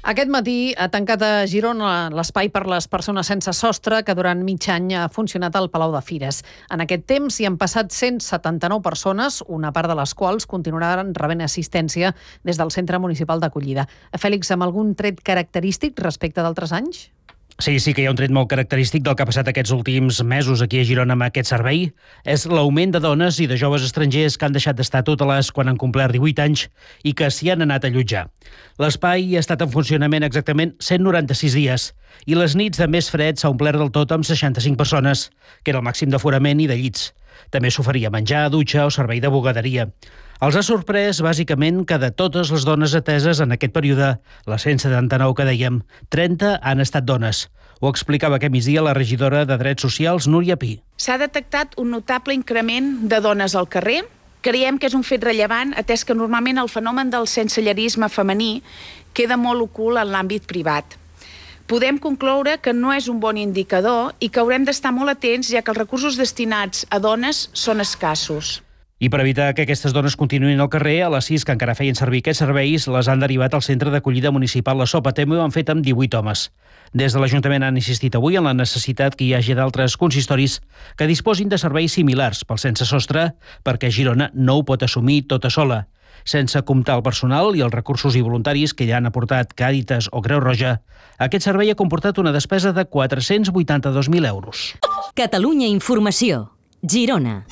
Aquest matí ha tancat a Girona l'espai per les persones sense sostre que durant mig any ha funcionat al Palau de Fires. En aquest temps hi han passat 179 persones, una part de les quals continuaran rebent assistència des del Centre Municipal d'Acollida. Fèlix, amb algun tret característic respecte d'altres anys? Sí que hi ha un tret molt característic del que ha passat aquests últims mesos aquí a Girona amb aquest servei. És l'augment de dones i de joves estrangers que han deixat d'estar tutelats quan han complert 18 anys i que s'hi han anat a allotjar. L'espai ha estat en funcionament exactament 196 dies i les nits de més fred s'ha omplert del tot amb 65 persones, que era el màxim d'aforament i de llits. També s'oferia menjar, dutxa o servei de bugaderia. Els ha sorprès, bàsicament, que de totes les dones ateses en aquest període, les 179 que dèiem, 30 han estat dones. Ho explicava aquest migdia la regidora de Drets Socials, Núria Pi. S'ha detectat un notable increment de dones al carrer. Creiem que és un fet rellevant, atès que normalment el fenomen del sensellerisme femení queda molt ocult en l'àmbit privat. Podem concloure que no és un bon indicador i que haurem d'estar molt atents, ja que els recursos destinats a dones són escassos. I per evitar que aquestes dones continuïn al carrer, a les 6 que encara feien servir aquests serveis, les han derivat al Centre d'Acollida Municipal La Sopatemo i ho han fet amb 18 homes. Des de l'Ajuntament han insistit avui en la necessitat que hi hagi d'altres consistoris que disposin de serveis similars pel sense sostre, perquè Girona no ho pot assumir tota sola. Sense comptar el personal i els recursos i voluntaris que ja han aportat Càritas o Creu Roja, aquest servei ha comportat una despesa de 482.000 euros. Catalunya Informació, Girona.